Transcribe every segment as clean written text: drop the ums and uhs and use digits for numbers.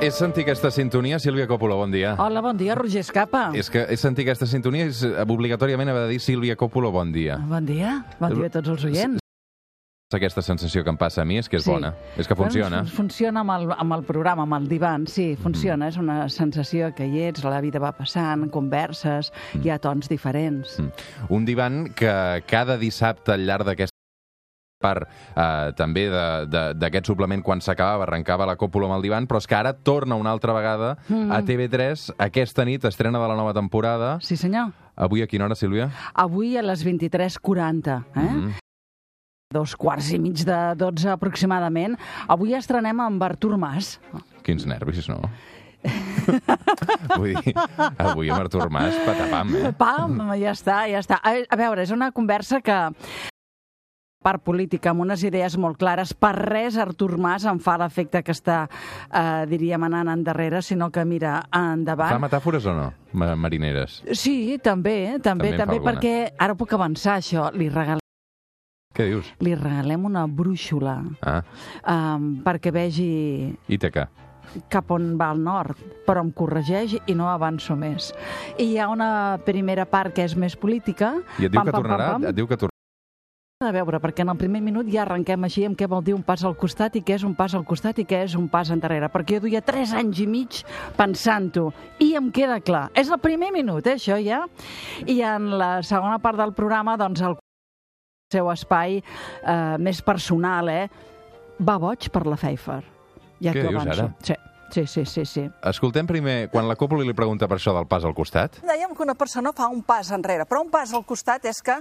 És sentir aquesta sintonia, Sílvia Coppola, bon dia. Hola, bon dia, Roger Escapa. És que és sentir aquesta sintonia és obligatòriament haver de dir Sílvia Coppola, bon dia. Bon dia a tots els oients. Aquesta sensació que em passa a mi és que és bona, és que funciona. Bueno, funciona amb el programa, amb el divan, sí, funciona. És una sensació que hi ets, la vida va passant, converses, hi ha tons diferents. Un divan que cada dissabte al llarg d'aquesta part també d'aquest suplement, quan s'acabava, arrencava la Coppola amb el divan, però és que ara torna una altra vegada a TV3, aquesta nit, estrena de la nova temporada. Sí, senyor. Avui a quina hora, Sílvia? Avui a les 23:40, 2:15 de 12 aproximadament. Avui estrenem amb Artur Mas. Quins nervis, no? Vull dir, avui amb Artur Mas, patapam, Pam, ja està, ja està. A veure, és una conversa que part política, amb unes idees molt clares. Per res Artur Mas em fa l'efecte que està, diríem, anant endarrere, sinó que mira endavant. Fa metàfores o no, marineres? Sí, també, perquè ara puc avançar això. Què dius? Li regalem una brúixola perquè vegi Ítaca. cap on va al nord, però em corregeix i no avanço més. I hi ha una primera part que és més política. I et diu que tornarà? Et diu que tornarà? A veure, perquè en el primer minut ja arrenquem així amb què vol dir un pas al costat i què és un pas al costat i què és un pas endarrere, perquè jo duia 3 anys i mig pensant-ho i em queda clar. És el primer minut, això ja. I en la segona part del programa, doncs, el seu espai més personal, va boig per la Pfeiffer. Ja què dius ara? Sí. Escoltem primer, quan la Coppola li pregunta per això del pas al costat. Dèiem que una persona fa un pas enrere, però un pas al costat és que,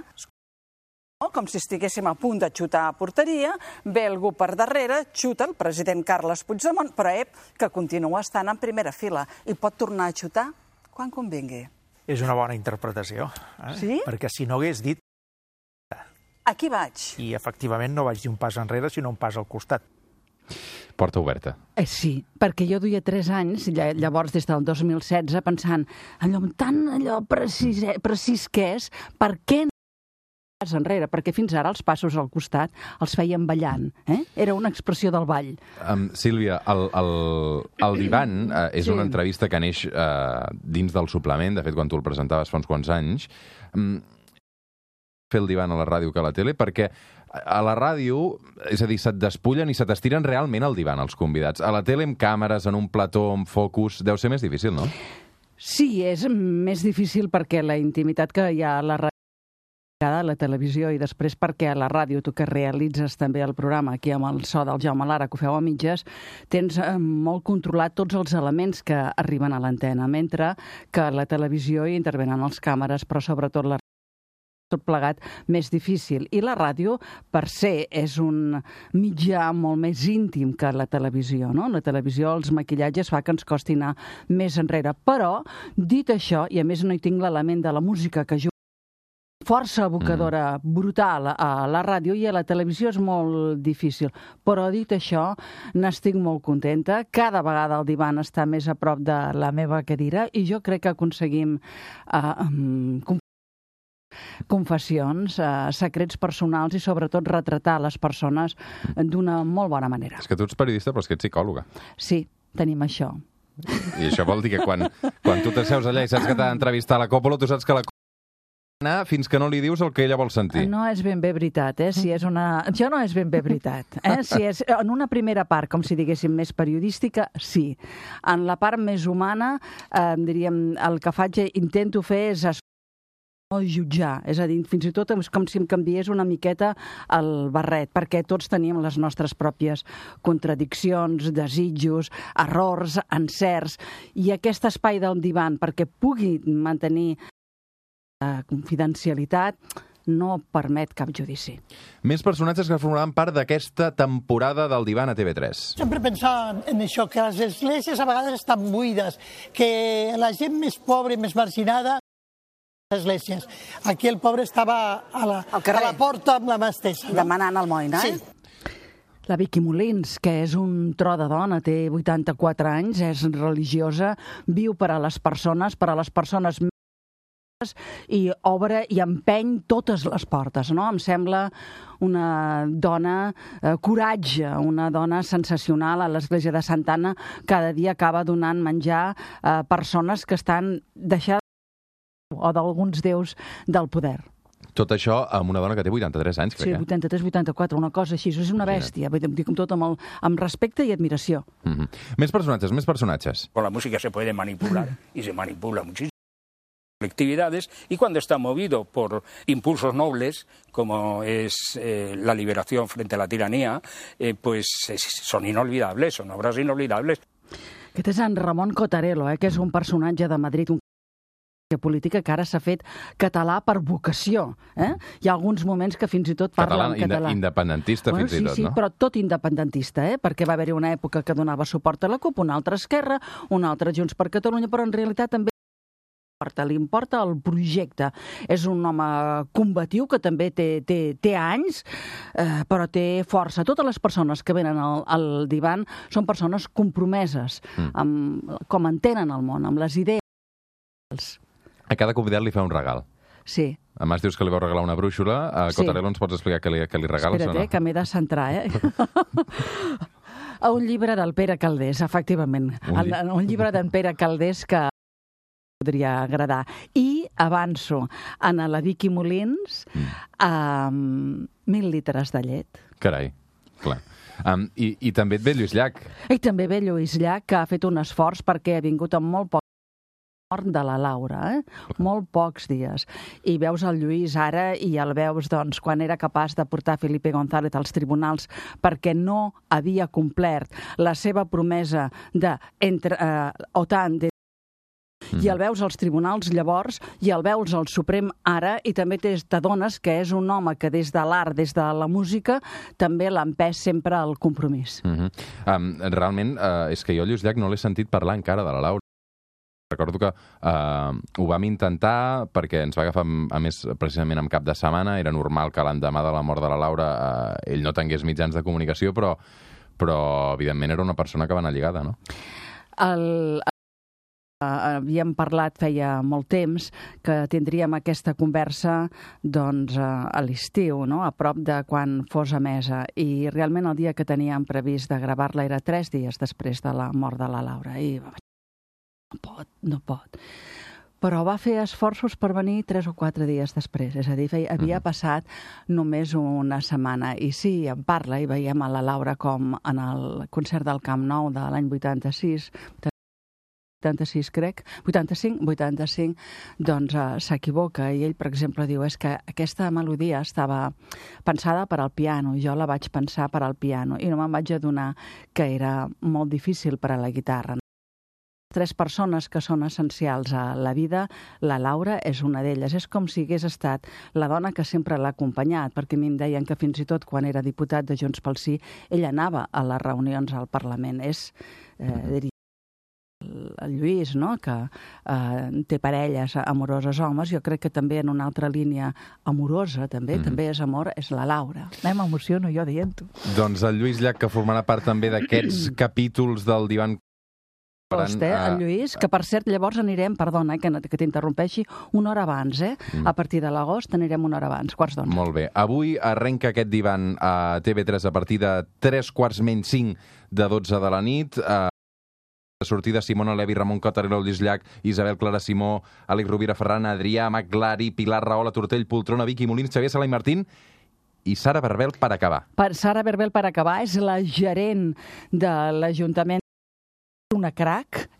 com si estiguéssim a punt de xutar a porteria, ve algú per darrere, xuta el president Carles Puigdemont, però que continua estant en primera fila i pot tornar a xutar quan convingui. És una bona interpretació, Sí? perquè si no hagués dit... Aquí vaig. I efectivament no vaig dir un pas enrere, sinó un pas al costat. Porta oberta. Sí, perquè jo duia 3 anys, llavors des del 2016, pensant allò precís que és, per què no pas enrere? Perquè fins ara els passos al costat els feien ballant. Era una expressió del ball. Sílvia, el divan és una entrevista que neix dins del suplement, de fet, quan tu el presentaves fa uns quants anys, fer el divan a la ràdio que a la tele, perquè a la ràdio, és a dir, se't despullen i se t'estiren realment al divan els convidats. A la tele, amb càmeres, en un plató, amb focus, deu ser més difícil, no? Sí, és més difícil perquè la intimitat que hi ha a la ràdio, a la televisió, i després perquè a la ràdio, tu que realitzes també el programa aquí amb el so del Jaume Lara, que ho feu a mitges, tens molt controlat tots els elements que arriben a l'antena, mentre que a la televisió hi intervenen les càmeres, però sobretot la tot plegat més difícil. I la ràdio, per ser, és un mitjà molt més íntim que la televisió, no? La televisió, els maquillatges fa que ens costi anar més enrere. Però, dit això, i a més no hi tinc l'element de la música que juga força evocadora, brutal a la ràdio, i a la televisió és molt difícil. Però dit això, n'estic molt contenta. Cada vegada el divan està més a prop de la meva cadira i jo crec que aconseguim confessions, secrets personals i sobretot retratar les persones d'una molt bona manera. És que tu ets periodista però és que ets psicòloga. Sí, tenim això. I això vol dir que quan tu t'asseus allà i saps que t'ha d'entrevistar la Coppola, tu saps que la Coppola fins que no li dius el que ella vol sentir. No és ben bé veritat, Si és una... Això no és ben bé veritat, Si és en una primera part, com si diguéssim, més periodística, sí. En la part més humana, diríem, el que intento fer és no jutjar, és a dir, fins i tot és com si em canviés una miqueta el barret, perquè tots tenim les nostres pròpies contradiccions, desitjos, errors, encerts, i aquest espai del divan, perquè pugui mantenir confidencialitat, no permet cap judici. Més personatges que formaran part d'aquesta temporada del divan a TV3. Sempre pensàvem en això, que les esglésies a vegades estan buides, que la gent més pobra i més marginada esglésies. Aquí el pobre estava a la porta amb la mà estesa. Demanant almoina, Sí. La Vicky Molins, que és un tro de dona, té 84 anys, és religiosa, viu per a les persones i obre i empeny totes les portes, no? Em sembla una dona coratge, una dona sensacional a l'església de Santa Anna. Cada dia acaba donant menjar a persones que estan deixades o d'alguns déus del poder. Tot això amb una dona que té 83 anys, crec. Sí, 83, 84, una cosa així. És una bèstia, dic tot amb respecte i admiració. Més personatges. Con la música se puede manipular y se manipula muchísimo colectividades, y cuando está movido por impulsos nobles, como es la liberación frente a la tiranía, pues son inolvidables, son obras inolvidables. Aquest és en Ramon Cotarelo, que és un personatge de Madrid, política que ara s'ha fet català per vocació. Hi ha alguns moments que fins i tot parla en català. Independentista, fins i tot, no? Sí, però tot independentista, perquè va haver-hi una època que donava suport a la CUP, una altra Esquerra, una altra Junts per Catalunya, però en realitat també li importa el projecte. És un home combatiu que també té anys, però té força. Totes les persones que venen al divan són persones compromeses amb com entenen el món, amb les idees. A cada convidat li fa un regal. Sí. A més, dius que li vau regalar una brúixola. A Cotarelo ens pots explicar què li regales o no? Espera't, que m'he de centrar, Un llibre del Pere Calders, efectivament. Un llibre d'en Pere Calders que podria agradar. I avanço a la Vicky Molins 1.000 litres de llet. Carai, clar. I també et ve Lluís Llach. I també ve Lluís Llach, que ha fet un esforç perquè ha vingut amb molt poc mort de la Laura, molt pocs dies. I veus el Lluís ara i el veus quan era capaç de portar Felipe González als tribunals perquè no havia complert la seva promesa d'OTAN, i el veus als tribunals llavors, i el veus al Suprem ara, i també t'adones que és un home que des de l'art, des de la música, també l'ha empès sempre al compromís. Realment, és que jo Lluís Llach no l'he sentit parlar encara de la Laura. Recordo que ho vam intentar perquè ens va agafar, a més, precisament en cap de setmana. Era normal que l'endemà de la mort de la Laura ell no tingués mitjans de comunicació, però evidentment era una persona que va anar lligada, no? Havíem parlat feia molt temps que tindríem aquesta conversa a l'estiu, a prop de quan fos emesa, i realment el dia que teníem previst de gravar-la era 3 dies després de la mort de la Laura, i no pot. Però va fer esforços per venir 3 o 4 dies després, és a dir, havia passat només una setmana, i sí, en parla, i veiem a la Laura com en el concert del Camp Nou de l'any 85, doncs s'equivoca, i ell, per exemple, diu és que aquesta melodia estava pensada per al piano, jo la vaig pensar per al piano, i no me'n vaig adonar que era molt difícil per a la guitarra. 3 persones que són essencials a la vida, la Laura és una d'elles. És com si hagués estat la dona que sempre l'ha acompanyat, perquè a mi em deien que fins i tot quan era diputat de Junts pel Sí, ell anava a les reunions al Parlament. És, diria, el Lluís, que té parelles amoroses homes, jo crec que també en una altra línia amorosa, també és amor, és la Laura. M'emociono jo dient-ho. Doncs el Lluís Llach, que formarà part també d'aquests capítols del divan. El Lluís, que per cert llavors anirem, perdona que t'interrompeixi, una hora abans, a partir de l'agost anirem una hora abans, 11:15. Molt bé. Avui arrenca aquest divan a TV3 a partir de 3:45 de 12 de la nit. De sortida, Simona Levi, Ramon Cotarelo, Lluís Llach, Isabel Clara Simó, Àlex Rovira Ferran, Adrià Maglari, Pilar Rahola, Tortell, Poltrona, Vicky Molins, Xavier Sala i Martín, i Sara Berbel per acabar. Sara Berbel per acabar és la gerent de l'Ajuntament. És una crac,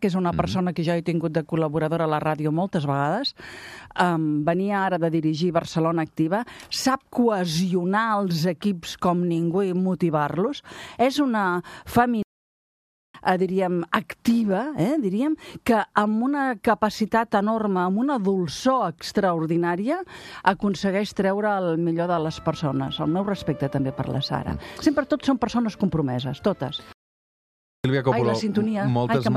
és una persona que jo he tingut de col·laboradora a la ràdio moltes vegades. Venia ara de dirigir Barcelona Activa, sap cohesionar els equips com ningú i motivar-los. És una feminista, diríem, activa, diríem, que amb una capacitat enorme, amb una dolçor extraordinària, aconsegueix treure el millor de les persones. El meu respecte també per la Sara. Sempre tots són persones compromeses, totes. Sílvia Coppolo, la sintonia. moltes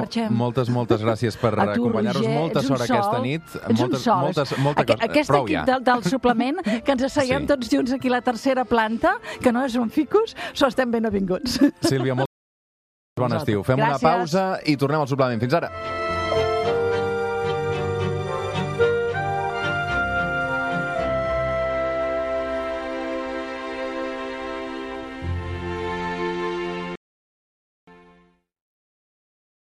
gràcies per acompanyar-nos. Molta sort aquesta nit. Ets un sol. Aquest equip del suplement, que ens asseguem tots junts aquí a la tercera planta, que no és un ficus, estem ben avinguts. Sílvia, molt bon estiu. Fem una pausa i tornem al suplement. Fins ara.